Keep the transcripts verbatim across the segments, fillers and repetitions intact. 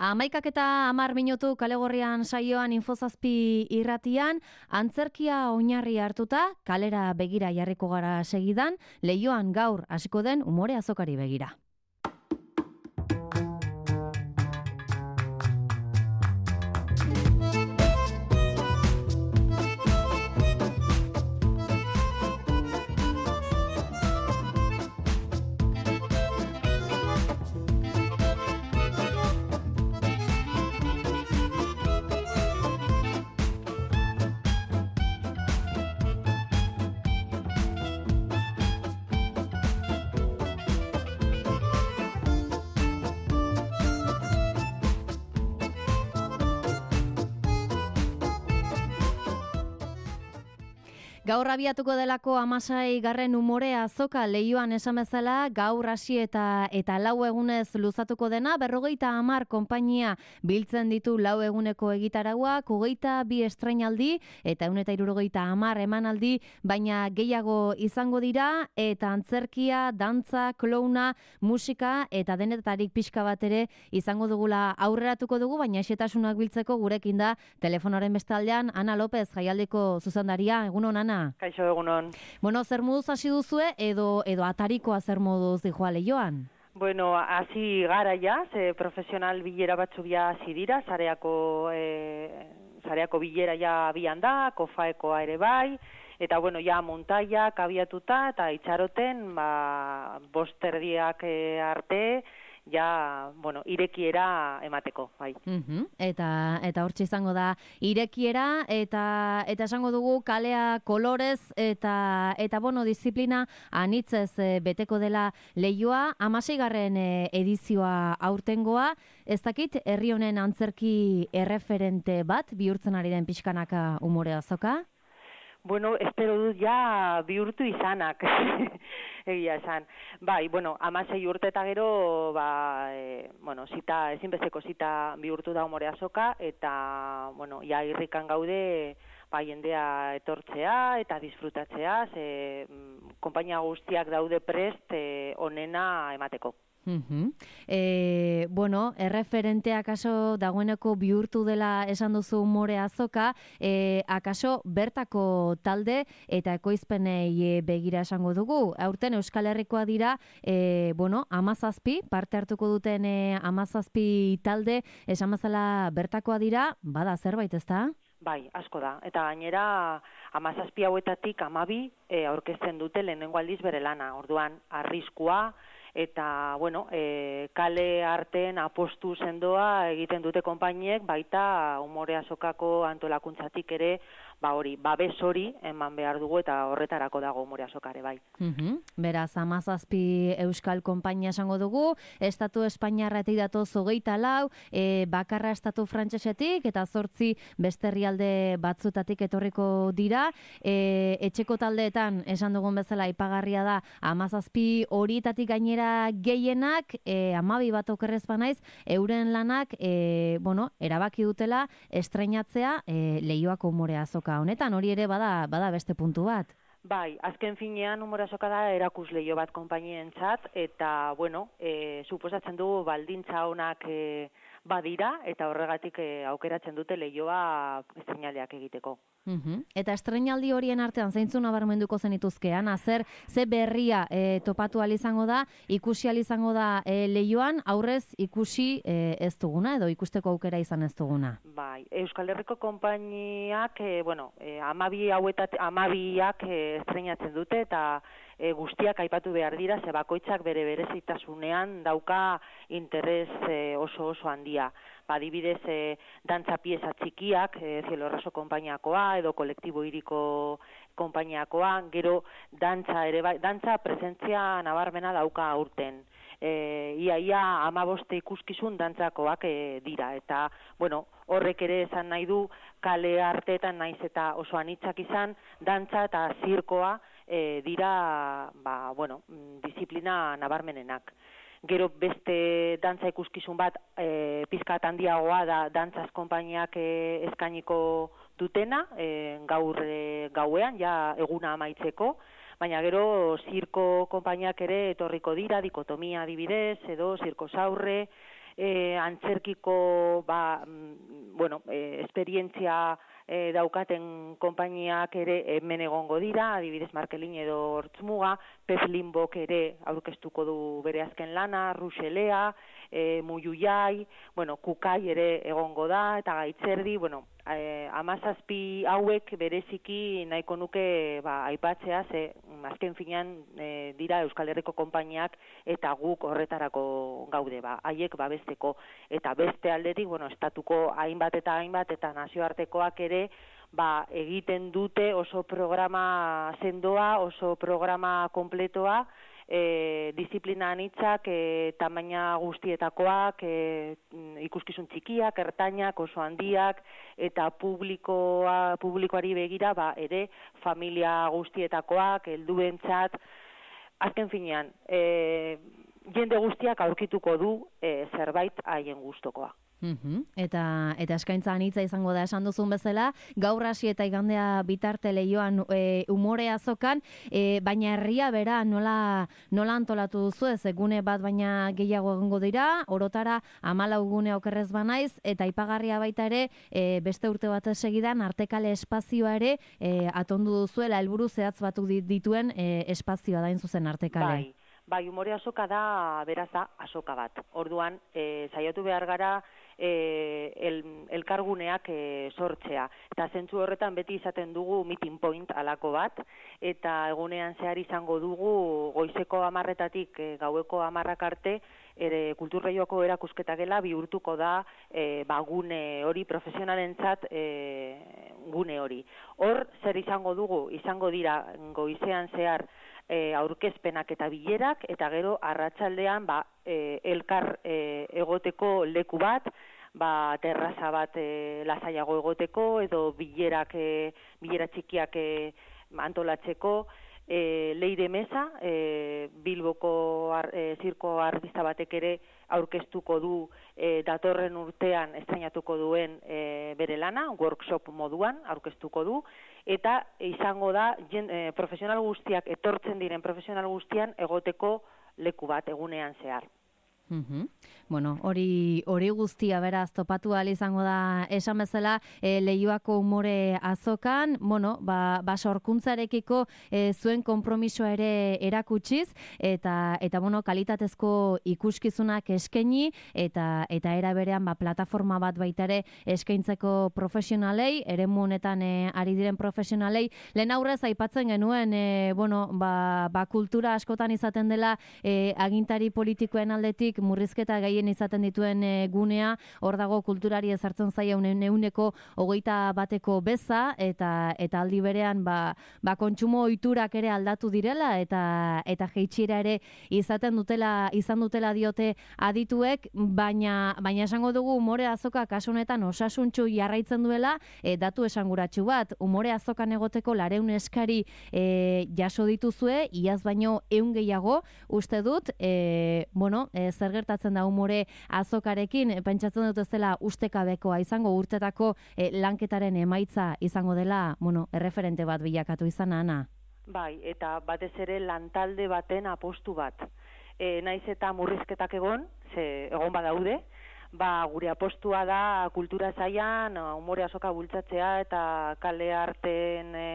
Hamaikak eta hamar minutu kalegorrian saioan Infozazpi irratian, antzerkia oinarri hartuta, kalera begira jarriko gara segidan, Leioan gaur hasiko den umore azokari begira. Gaur abiatuko delako hamasei garren umore azoka Leioan esan bezala, gaur hasi eta eta lau egunez luzatuko dena, berrogeita hamar konpainia biltzen ditu lau eguneko egitarauak, hogeita bi estreinaldi eta ehun eta hirurogeita hamar emanaldi, baina gehiago izango dira, eta antzerkia, dantza, klouna, musika eta denetarik pixka bat ere izango dugula aurreratuko dugu, baina xetasunak biltzeko gurekin da telefonoaren bestaldean Ana López, jaialdiko zuzendaria. Egunon, Ana. Kaixo, egunon. Bueno, zer moduz hasi duzue edo edo atarikoa zer moduz dijoa Leioan? Bueno, hasi gara ja, ze profesional bilera batzu bia hasi dira, sareako e, sareako bilera ja abian da, kofaekoa ere bai, eta bueno, ja montaiak abiatuta eta itxaroten, ba, bost erdiak e, arte, ja, bueno, irekiera emateko, bai. Uh-huh. Eta eta hortxe izango da irekiera, eta eta esango dugu kalea kolorez eta eta bueno, disiplina anitzez e, beteko dela Leioa, hamaseigarren e, edizioa aurtengoa. Ez dakit herri honen antzerki erreferente bat bihurtzen ari den pixkanaka umore azoka? Bueno, espero dut ja bihurtu izanak, egia esan. Bai, bueno, hamasei urte eta gero, ba, e, bueno, zita, ezinbesteko zita bihurtu da umore azoka, eta, bueno, ja irrikan gaude, ba, jendea etortzea eta disfrutatzea, ze, konpainia guztiak daude prest e, onena emateko. Uh-huh. E, bueno, erreferente akaso dagoeneko bihurtu dela esan duzu umore azoka, e, akaso bertako talde eta ekoizpenei begira esango dugu. Aurten Euskal Herrikoa dira, e, bueno, hamazazpi, parte hartuko duten e, hamazazpi talde, esan bezala bertakoa dira, bada zerbait, ezta? Bai, asko da. Eta gainera, hamazazpi hauetatik hamabi e, aurkezten dute lehenengo aldiz bere lana. Orduan, arriskua, eta, bueno, e, kale arten apostu sendoa egiten dute konpainiek, baita umore azokako antolakuntzatik ere, ba hori, babes hori eman behar dugu, eta horretarako dago umore azokare, bai. Uh-huh. Beraz, hamazazpi euskal konpainia esango dugu, Estatu Espainiarretik datoz hogeita lau, e, bakarra Estatu Frantsesetik, eta zortzi beste herrialde batzutatik etorriko dira. E, etxeko taldeetan, esan dugun bezala, aipagarria da, hamazazpi horietatik gainera gehienak, e, hamabi bat okerrez banaiz, euren lanak, e, bueno, erabaki dutela estreinatzea e, Leioako umore azoka honetan, hori ere bada bada beste puntu bat. Bai, azken finean umore azoka da erakusleio bat konpainientzat, eta, bueno, e, suposatzen dugu baldintza honak e, badira, eta horregatik e, aukeratzen dute Leioa estreinaldiak egiteko. Uh-huh. Eta estreinaldi horien artean zeintzun nabarmenduko zenituzkean, zer ze berria e, topatu ahal izango da, ikusi ahal izango da e, Leioan, aurrez ikusi e, ez duguna, edo ikusteko aukera izan ez duguna? Bai, Euskal Herriko konpainiak, e, bueno, e, amabi hauetat, amabiak e, estreinatzen dute, eta e, guztiak aipatu behar dira, ze bakoitzak bere berezitasunean dauka interes e, oso oso handia. Adibidez, e, dantza pieza txikiak, e, Cielo Raso konpainiakoa, edo kolektibo hiriko konpainiakoa, gero dantza ere bai, dantza presentzia nabarmena dauka aurten. E, ia ia hamabost ikuskizun dantzakoak e, dira, eta bueno, horrek ere esan nahi du kale arteetan naiz eta oso anitzak izan, dantza eta zirkoa e, dira, ba, bueno, disiplina nabarmenenak. Gero beste dantza ikuskizun bat e, pizkat handiagoa da dantzaz konpainiak e, eskainiko dutena, e, gaur e, gauean, ja eguna amaitzeko, baina gero zirko konpainiak ere etorriko dira, dikotomia adibidez, edo zirko zaurre, e, antzerkiko ba, bueno, e, esperientzia e, daukaten konpainiak ere hemen egongo dira, adibidez Markelin edo Hortzmuga, Pez Limbok ere aurkeztuko du bere azken lana, Ruxelea, e, Muyuiai, bueno, Kukai ere egongo da, eta Gaitzerdi, bueno, e, amazazpi hauek bereziki nahiko nuke ba, aipatzea, ze azken finean e, dira Euskal Herriko konpainiak eta guk horretarako gaude, ba, haiek babesteko, eta beste aldetik, bueno, estatuko hainbat eta hainbat eta nazioartekoak ere ba, egiten dute oso programa sendoa, oso programa kompletoa, e, disiplina anitzak, e, tamaina guztietakoak, e, ikuskizun txikiak, ertainak, oso handiak, eta publikoa, publikoari begira ba, ere familia guztietakoak, helduentzat, azken finean, e, jende guztiak aurkituko du e, zerbait haien gustokoa. Uhum. Eta eta eskaintza anitza izango da esan duzun bezala, gaur hasi eta igandea bitarte Leioan e, umore azokan, e, baina herria bera nola nola antolatu duzu ez, egune bat baina gehiago egongo dira, orotara hamalau gune okerrez banaiz, eta aipagarria baita ere, e, beste urte bat segidan artekale espazioa ere e, atondu duzuela helburu zehatz batu dituen e, espazioa dain zuzen artekale. Bai. Bai, umore azoka da, beraz da, azoka bat. Orduan, e, saiatu behar gara e, el, elkarguneak e, sortzea. Eta zentzu horretan beti izaten dugu meeting point alako bat, eta egunean zehar izango dugu goizeko amarretatik e, gaueko amarrak arte, ere kulturreioko erakusketa gela bihurtuko da e, ba, gune hori, profesionalentzat e, gune hori. Hor, zer izango dugu? Izango dira goizean zehar E, aurkezpenak eta bilerak, eta gero arratsaldean ba, e, elkar e, egoteko leku bat, ba, terraza bat e, lasaiago egoteko, edo bilerak, e, bilera txikiak e, antolatzeko, e, Leire Mesa, e, Bilboko ar, e, zirko artista batek ere aurkeztuko du e, datorren urtean estrainatuko duen e, bere lana, workshop moduan aurkeztuko du, eta izango da jen, e, profesional guztiak, etortzen diren profesional guztian egoteko leku bat egunean zehar. Uhum. Bueno, hori hori guztia beraz topatu ahal izango da esan bezala e, Leioako umore azokan, bueno, ba, ba sorkuntzarekiko e, zuen konpromisoa ere erakutsiz eta eta bueno, kalitatezko ikuskizunak eskaini eta eta era berean ba plataforma bat baita ere eskaintzeko profesionalei, eremu honetan e, ari diren profesionalei, lehen aurrez aipatzen genuen e, bueno, ba, ba kultura askotan izaten dela e, agintari politikoen aldetik murrizketa gehien izaten dituen e, gunea, hor dago kulturari ezartzen zaia euneko hogeita bateko beza, eta eta aldi berean ba, ba kontsumo ohiturak ere aldatu direla, eta eta jeitsiera ere izaten dutela, izan dutela diote adituek, baina baina esango dugu umore azoka kasu honetan osasuntsu jarraitzen duela, e, datu esanguratsu bat, umore azokan egoteko lareun eskari e, jaso dituzue, iaz baino ehun gehiago, uste dut, e, bueno, e, zer gertatzen da umore azokarekin, pentsatzen dut ez dela ustekabekoa izango, urtetako e, lanketaren emaitza izango dela, bueno, erreferente bat bilakatu izan, Ana. Bai, eta batez ere lantalde baten apostu bat. E, naiz eta murrizketak egon, ze egon badaude, ba, gure apostua da kultura sailan umore azoka bultzatzea eta kale arten e,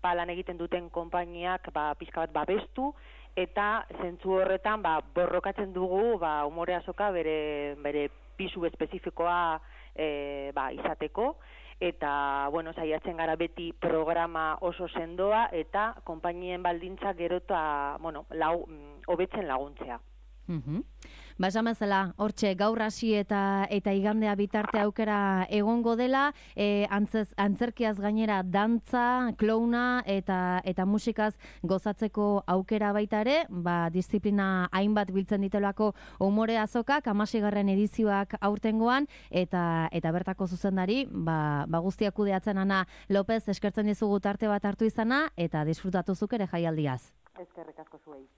ba, lan egiten duten konpainiak ba, pixka bat babestu, eta zentzu horretan ba, borrokatzen dugu ba, umore azoka bere, bere pisu espezifikoa e, ba, izateko, eta bueno, saiatzen gara beti programa oso sendoa eta konpainien baldintza gero eta bueno, lau, hobetzen laguntzea. Mhm. Ba, esan bezala, hortxe, gaur hasi eta eta igandea bitarte aukera egongo dela, e, antzez, antzerkiaz gainera dantza, klouna eta eta musikaz gozatzeko aukera baita ere, ba, disiplina hainbat biltzen ditelako umore azokak, hamaseigarren edizioak aurtengoan, eta eta bertako zuzendari, ba, ba guztiak kudeatzen Ana López, eskertzen dizugu tarte bat hartu izana, eta disfrutatu zuk ere jaialdiaz. Eskerrik asko zuei.